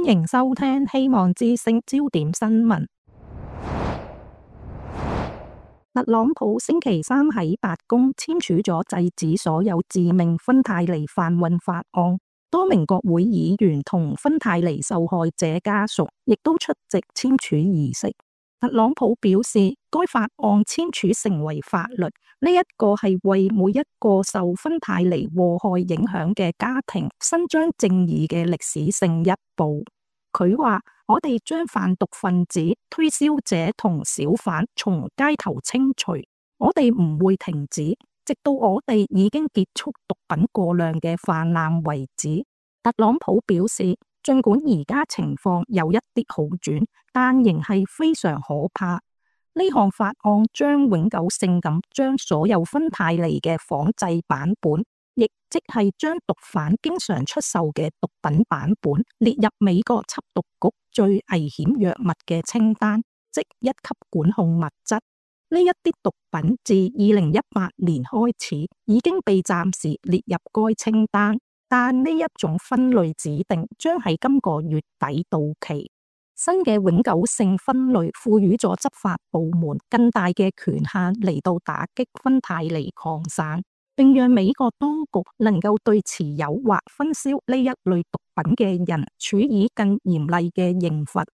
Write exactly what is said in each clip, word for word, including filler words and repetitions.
歡迎收聽希望之聲焦點新聞。特朗普星期三喺白宮簽署咗制止所有致命芬太尼販運法案，多名國會議員同芬太尼受害者家屬亦都出席簽署儀式。特朗普表示，該法案簽署成為法律，呢一個係為每一個受芬太尼禍害影響嘅家庭伸張正義嘅歷史性一步。佢話：我哋將販毒分子、推銷者同小販從街頭清除，我哋唔會停止，直到我哋已經結束毒品過量嘅泛濫為止。特朗普表示，儘管而家情況有一啲好轉，但仍係非常可怕。呢項法案將永久性咁將所有芬太尼嘅仿製版本，亦即係將毒販經常出售嘅毒品版本列入美國緝毒局最危險藥物嘅清單，即一級管控物質。呢一啲毒品自二零一八年開始已經被暫時列入該清單，但呢一種分類指定將喺今個月底到期。新嘅永久性分類賦予咗執法部門更大嘅權限嚟到打擊芬太尼擴散，並讓美國當局能夠對持有或分銷呢一類毒品嘅人處以更嚴厲嘅刑罰。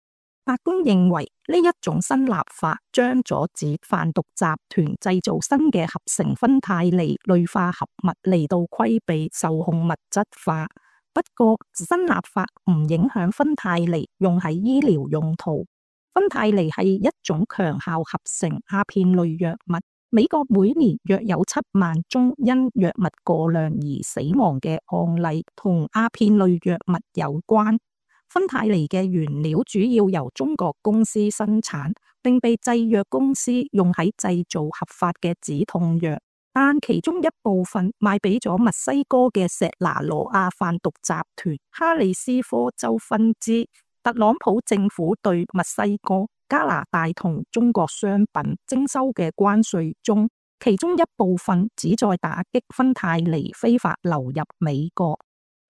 法官認為呢一種新立法將阻止販毒集團製造新嘅合成芬太尼類化合物嚟到規避受控物質化。不過新立法唔影響芬太尼用喺醫療用途。芬太尼係一種強效合成鴉片類藥物，美國每年約有七萬宗因藥物過量而死亡嘅案例同鴉片類藥物有關。芬太尼嘅原料主要由中國公司生產，並被製藥公司用喺製造合法嘅止痛藥，但其中一部分賣俾咗墨西哥嘅石拿羅亞販毒集團哈里斯科州分支。特朗普政府對墨西哥、加拿大同中國商品徵收嘅關稅中，其中一部分旨在打擊芬太尼非法流入美國。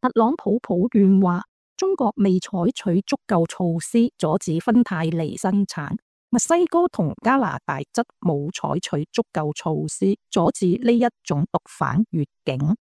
特朗普抱怨話，中國未採取足夠措施阻止芬太尼生產，墨西哥同加拿大則冇採取足夠措施阻止呢一種毒販越境。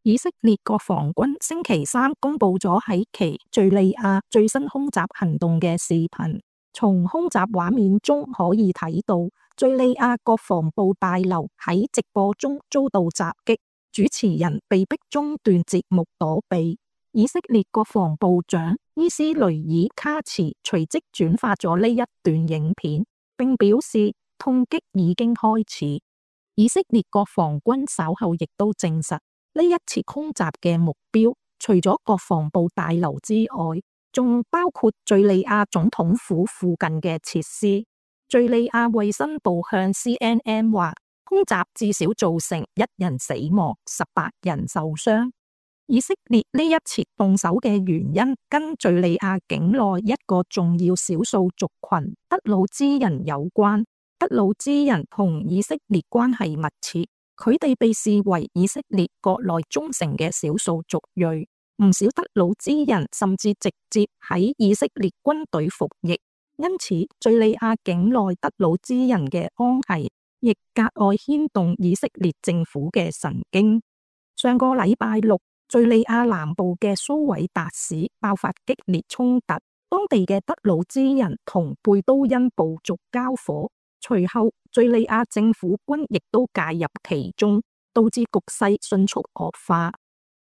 以色列國防軍星期三公布咗喺其敘利亞最新空襲行動嘅視頻，從空襲畫面中可以睇到敘利亞國防部大樓喺直播中遭到襲擊，主持人被迫中斷節目躲避。以色列國防部長伊斯雷爾卡茨隨即轉發咗呢一段影片，並表示痛擊已經開始。以色列國防軍稍後亦都證實，呢一次空襲嘅目標除咗國防部大樓之外，仲包括敘利亞總統府附近嘅設施。敘利亞衛生部向 C N N 話，空襲至少造成一人死亡，十八人受傷。以色列呢一次動手嘅原因跟敘利亞境內一個重要少數族群德魯茲人有關。德魯茲人同以色列關係密切，佢哋被視為以色列國內忠誠嘅少數族裔。唔少德魯茲人甚至直接喺以色列軍隊服役，因此敘利亞境內德魯茲人嘅安危亦格外牽動以色列政府嘅神經。上個禮拜六，敘利亞南部嘅蘇韋達市爆發激烈衝突，當地嘅德魯茲人同貝都因部族交火，隨後敘利亞政府軍亦都介入其中，導致局勢迅速惡化。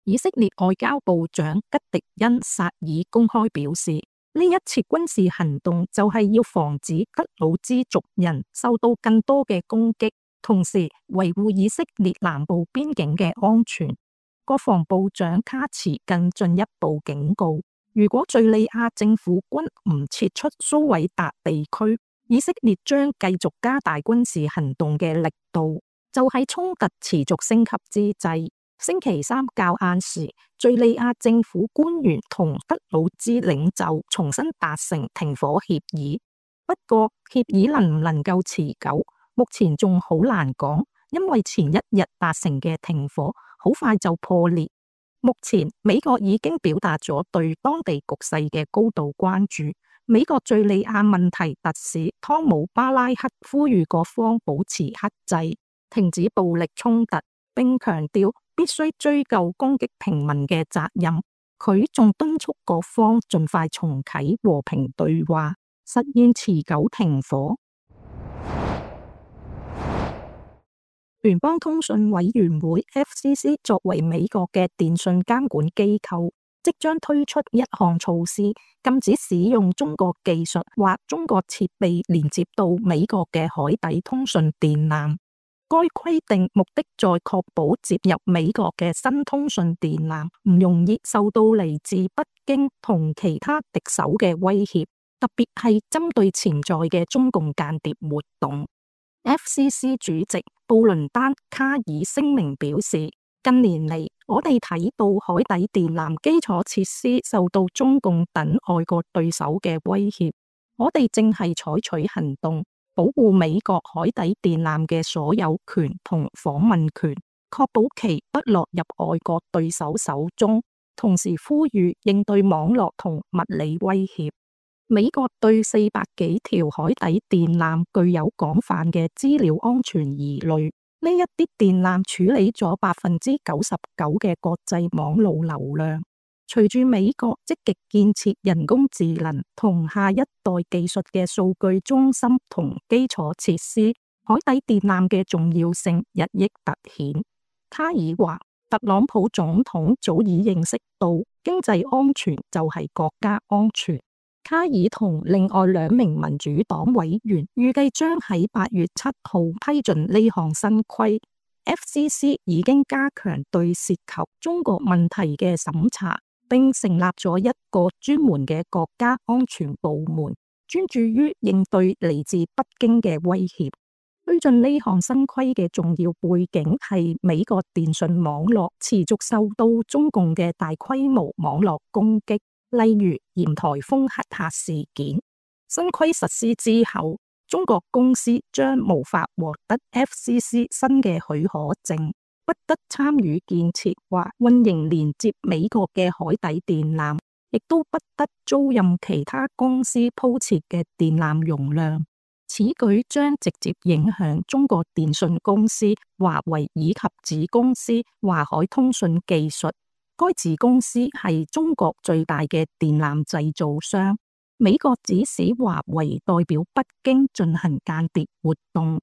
以色列外交部長吉迪恩薩爾公開表示，呢一次軍事行動就係要防止德魯茲族人受到更多嘅攻擊，同時維護以色列南部邊境嘅安全。國防部長卡茨更進一步警告，如果敘利亞政府軍唔撤出蘇韋達地區，以色列將繼續加大軍事行動嘅力度。就喺衝突持續升級之際，星期三較晏時，敘利亞政府官員同德魯茲領袖重新達成停火協議。不過協議能唔能夠持久，目前仲好難講，因為前一日達成嘅停火好快就破裂。目前美國已經表達咗對當地局勢嘅高度關注。美國敘利亞問題特使湯姆巴拉克呼籲各方保持克制，停止暴力衝突，並強調必須追究攻擊平民嘅責任。佢仲敦促各方盡快重啟和平對話，實現持久停火。聯邦通訊委員會 F C C 作為美國嘅電訊監管機構，即將推出一項措施，禁止使用中國技術或中國設備連接到美國嘅海底通訊電纜。該規定目的在確保接入美國嘅新通訊電纜唔容易受到嚟自北京同其他敵手嘅威脅，特別係針對潛在嘅中共間諜活動。F C C 主席布倫丹卡爾聲明表示，近年嚟我哋睇到海底電纜基礎設施受到中共等外國對手嘅威脅，我哋正係採取行動，保護美國海底電纜嘅所有權同訪問權，確保其不落入外國對手手中，同時呼籲應對網絡同物理威脅。美國對四百幾條海底電纜具有廣泛嘅資料安全疑慮，呢一啲電纜處理咗百分之九十九嘅國際網路流量。隨住美國積極建設人工智能同下一代技術嘅數據中心同基礎設施，海底電纜嘅重要性日益凸顯。卡爾話，特朗普總統早已認識到經濟安全就係國家安全。卡爾同另外兩名民主黨委員預計將喺八月七號批准呢項新規。F C C 已經加強對涉及中國問題嘅審查，並成立咗一個專門嘅國家安全部門，專注於應對嚟自北京嘅威脅。推進呢項新規嘅重要背景係美國電信網絡持續受到中共嘅大規模網絡攻擊。例如鹽台風黑客事件。新規實施之後，中國公司將無法獲得 F C C 新嘅許可證，不得參與建設或運營連接美國嘅海底電纜，亦都不得租賃其他公司鋪設嘅電纜容量。此舉將直接影響中國電信公司華為以及子公司華海通訊技術。該子公司係中國最大嘅電纜製造商。美國指使華為代表北京進行間諜活動。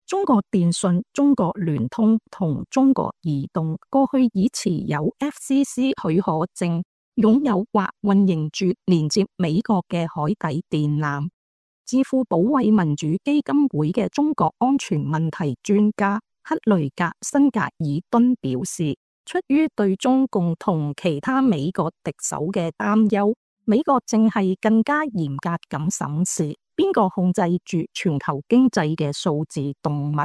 中國電信、中國聯通同中國移動過去已持有 F C C 許可證，擁有或運營住連接美國嘅海底電纜。智庫保衛民主基金會嘅中國安全問題專家克雷格辛格爾頓表示，出於對中共同其他美國敵手嘅擔憂，美國正係更加嚴格咁審視邊個控制住全球經濟嘅數字動物。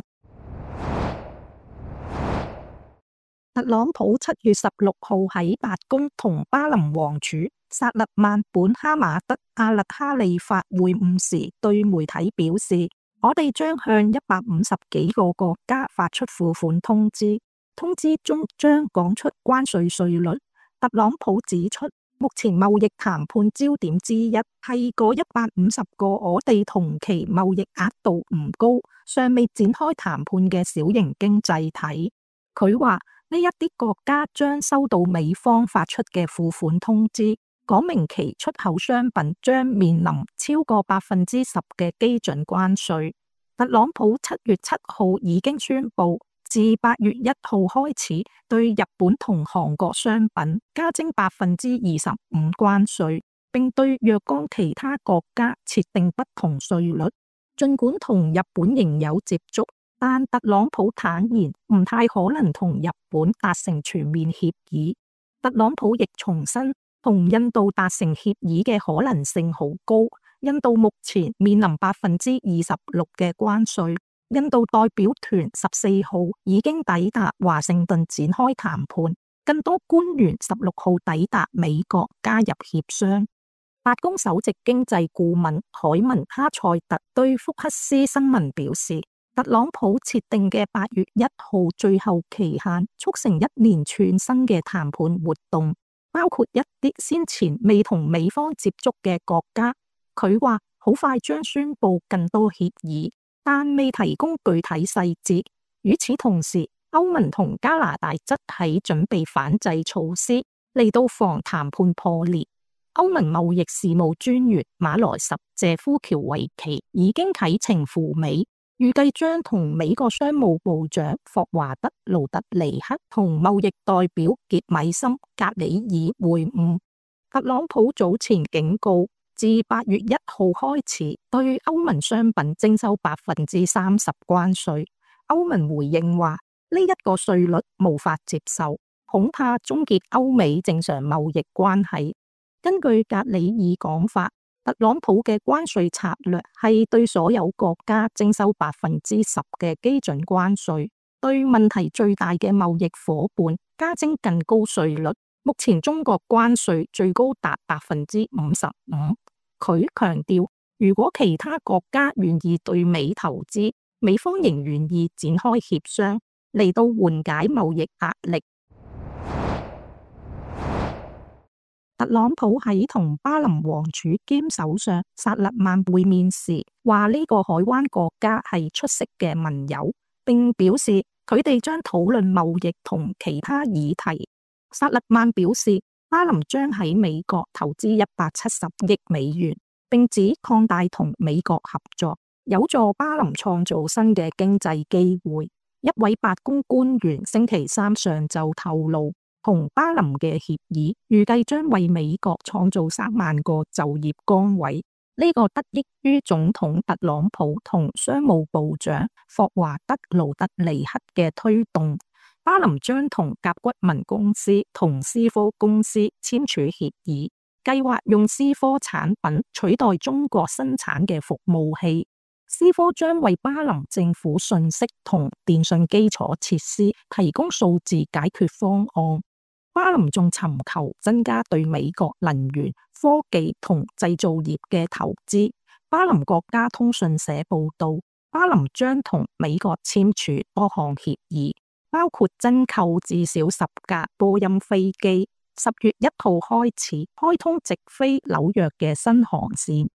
特朗普七月十六號喺白宮同巴林王儲薩勒曼本哈馬德阿勒哈利法會晤時，對媒體表示：我哋將向一百五十幾個國家發出付款通知。通知中將講出關稅稅率。特朗普指出，目前貿易談判焦點之一係嗰一百五十個我哋同期貿易額度唔高、尚未展開談判嘅小型經濟體。佢話呢一啲國家將收到美方發出嘅付款通知，講明其出口商品將面臨超過百分之十嘅基準關稅。特朗普七月七號已經宣布，自八月一號開始，對日本同韓國商品加徵百分之二十五關稅，並對若干其他國家設定不同稅率。儘管同日本仍有接觸，但特朗普坦言唔太可能同日本達成全面協議。特朗普亦重申，同印度達成協議嘅可能性好高。印度目前面臨百分之二十六嘅關稅。印度代表團十四號已經抵達華盛頓展開談判，更多官員十六號抵達美國加入協商。白宮首席經濟顧問海文哈塞特對福克斯新聞表示，特朗普設定嘅八月一號最後期限，促成一連串新嘅談判活動，包括一啲先前未同美方接觸嘅國家。佢話好快將宣布更多協議，但未提供具體細節。與此同時，歐盟同加拿大則喺準備反制措施，嚟到防談判破裂。歐盟貿易事務專員馬萊什謝夫喬維奇已經啟程赴美，預計將同美國商務部長霍華德盧特尼克同貿易代表傑米森格里爾會晤。特朗普早前警告，自八月一號開始對歐盟商品徵收百分之三十關稅。歐盟回應話呢一個稅率無法接受，恐怕終結歐美正常貿易關係。根據格里爾講法，特朗普嘅關稅策略係對所有國家徵收百分之十嘅基準關稅，對問題最大嘅貿易夥伴加徵更高稅率。目前中國關稅最高達百分之五十五。佢強調，如果其他國家願意對美投資，美方仍願意展開協商，嚟到緩解貿易壓力。特朗普喺同巴林王儲兼首相薩勒曼會面時，話呢個海灣國家係出色嘅盟友，並表示佢哋將討論貿易同其他議題。薩勒曼表示，巴林將喺美國投資一百七十億美元，並指擴大同美國合作有助巴林創造新嘅經濟機會。一位白宮官員星期三上晝透露，同巴林嘅協議預計將為美國創造三萬個就業崗位。呢、這個得益於總統特朗普同商務部長霍華德盧特尼克嘅推動。巴林將同甲骨文公司同思科公司簽署協議，計劃用思科產品取代中國生產嘅服務器。思科將為巴林政府信息同電信基礎設施提供數字解決方案。巴林仲尋求增加對美國能源、科技同製造業嘅投資。巴林國家通訊社報道，巴林將同美國簽署多項協議，包括增購至少十架波音飛機。十月一號開始開通直飛紐約嘅新航線。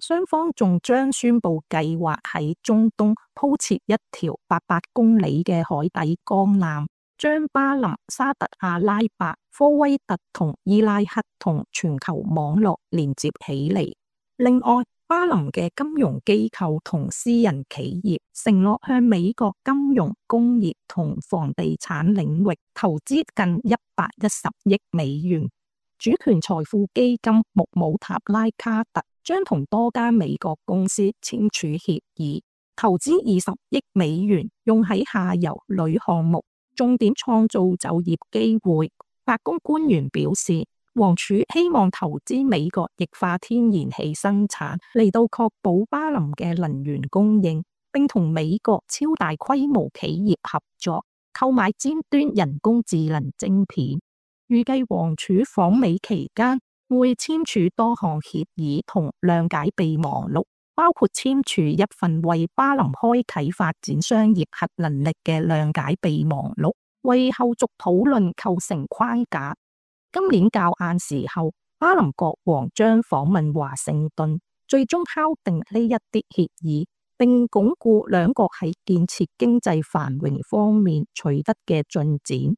雙方仲將宣布計劃喺中東鋪設一條八百公里嘅海底鋼纜，將巴林、沙特阿拉伯、科威特同伊拉克同全球網絡連接起嚟。另外，巴林嘅金融機構同私人企業承諾向美國金融、工業同房地產領域投資近一百一十億美元。主權財富基金穆姆塔拉卡特將同多家美國公司簽署協議，投資二十億美元用喺下游鋁項目，重點創造就業機會。白宮官員表示，王儲希望投資美國液化天然氣生產，嚟到確保巴林嘅能源供應，並同美國超大規模企業合作，購買尖端人工智能晶片。預計王儲訪美期間會簽署多項協議同諒解備忘錄，包括簽署一份為巴林開啟發展商業核能力嘅諒解備忘錄，為後續討論構成框架。今年較晏時候，巴林國王將訪問華盛頓，最終敲定呢一啲協議，並鞏固兩國喺建設經濟繁榮方面取得嘅進展。